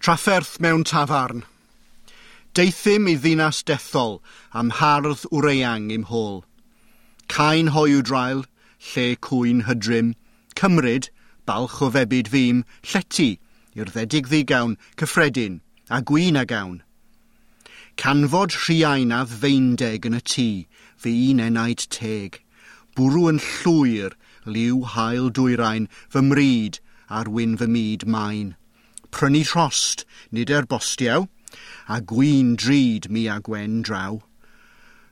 Trafferth mewn tafarn. Deuthum i ddinas dethol am hardd wreang i'm hôl. Cain hoyw draul, lle cwyn hydrym, cymryd, balch o febyd fîm, llety, i'r ddedig ddigawn, cyffredin, a gwyn a gawn. Canfod rhiain a feindeg yn y tŷ, fy un enaid teg. Bwrw yn llwyr, liw hael dwyrain, fy mryd ar wyn fy myd main. Prynu rhost, nid bostiaw, a gwyn drud mi a gwen draw.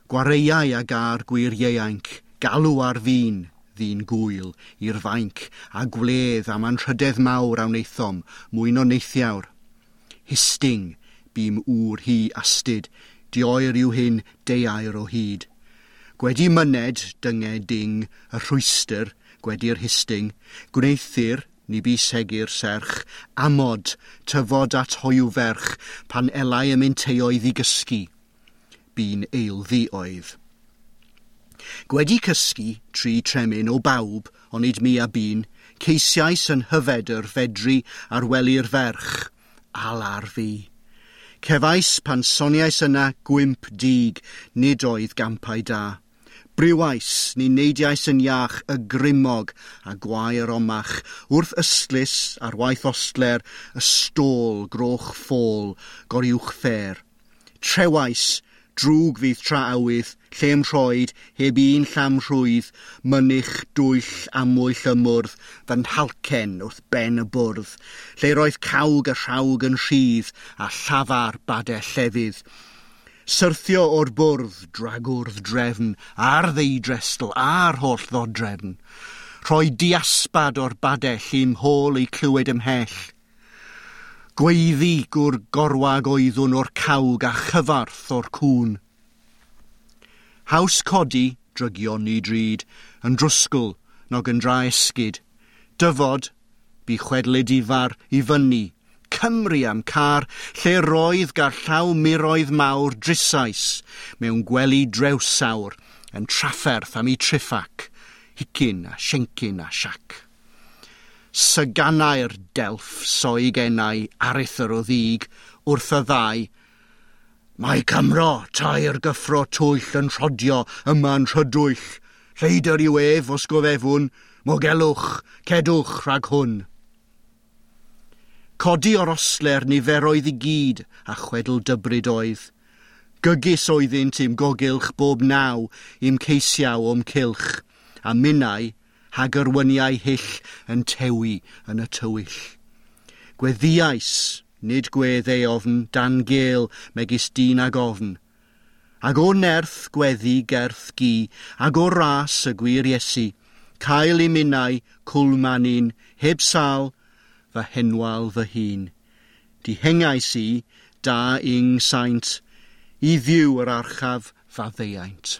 Gwareiau a gar gwir ieuanc, galw ar fin, ddyn gwyl, i'r fainc, a gwledd am anrhydedd mawr a wnaethom, mwyn o neithiawr. Histing, bûm ŵr hi astud, dioer yw hyn deuair o hyd. Gwedi myned, dynged ding, y rhwystr, gwedi'r histing, gwneuthur, ni bu segur serch, amod, tyfod at hoyw ferch, pan elai y mynteoedd i gysgu. Bu'n eilddi oedd. Gwedi cysgu, tri tremyn o bawb, onid mi a bun, ceisiais yn hyfedr fedru ar wely'r ferch, alar fi. Cefais pan soniais yna gwymp dig, nid oedd gampau da. Briwais, ni neidiais yn iach y grimog a gwair omach, wrth ystlys ar waith ostler, y stôl groch ffôl, goriwch ffer. Trewais, drwg fydd tra awydd, lle'm rhoed, heb un llam rhwydd, mynych dwyll amwyll ymwrdd, fy nhalcen wrth ben y bwrdd, lle roedd cawg y rhawg yn rhydd a llafar badell llefydd. Syrthio o'r bwrdd, dragwrdd drefn, a'r ddeudrestl, a'r holl ddodrefn. Rhoi diasbad o'r badell i'm hôl eu clywed ymhell. Gweiddi gwr gorwag oeddwn o'r cawg a chyfarth o'r cŵn. Haws codi, drygion ni drud, yn drwsgl, nog yn dra esgid. Dyfod, bu chwedl edifar i fyny, Cymru am car, lle roedd gar llaw miroedd mawr drisais mewn gwely drewsawr yn trafferth am ei triffac, hicyn a siencyn a siac. Syganau'r delff soig enau arithr o ddig wrth y ddau. Mae Cymro tair gyffro twyll yn rhodio yma'n rhydwyll. Lleidr yw ef os gofefwn, mogelwch, cedwch rhag hwn. Codi o'r osler niferoedd i gyd a chwedl dybryd oedd. Gygis oeddynt i'm gogylch bob naw i'm ceisiaw o'm cylch, a minnau hagyrwyniau hyll yn tewi yn y tywyll. Gweddiais, nid gwedd ei ofn, dan gêl megis dyn ag ofn. Ag o nerth gweddi gerth gi, ag o ras y gwir Iesu, cael i minnau cwlmanin, heb sal, fy henwal fy hun. Dihengais i, da ing saint, i ddiw yr archaf faddeuaint.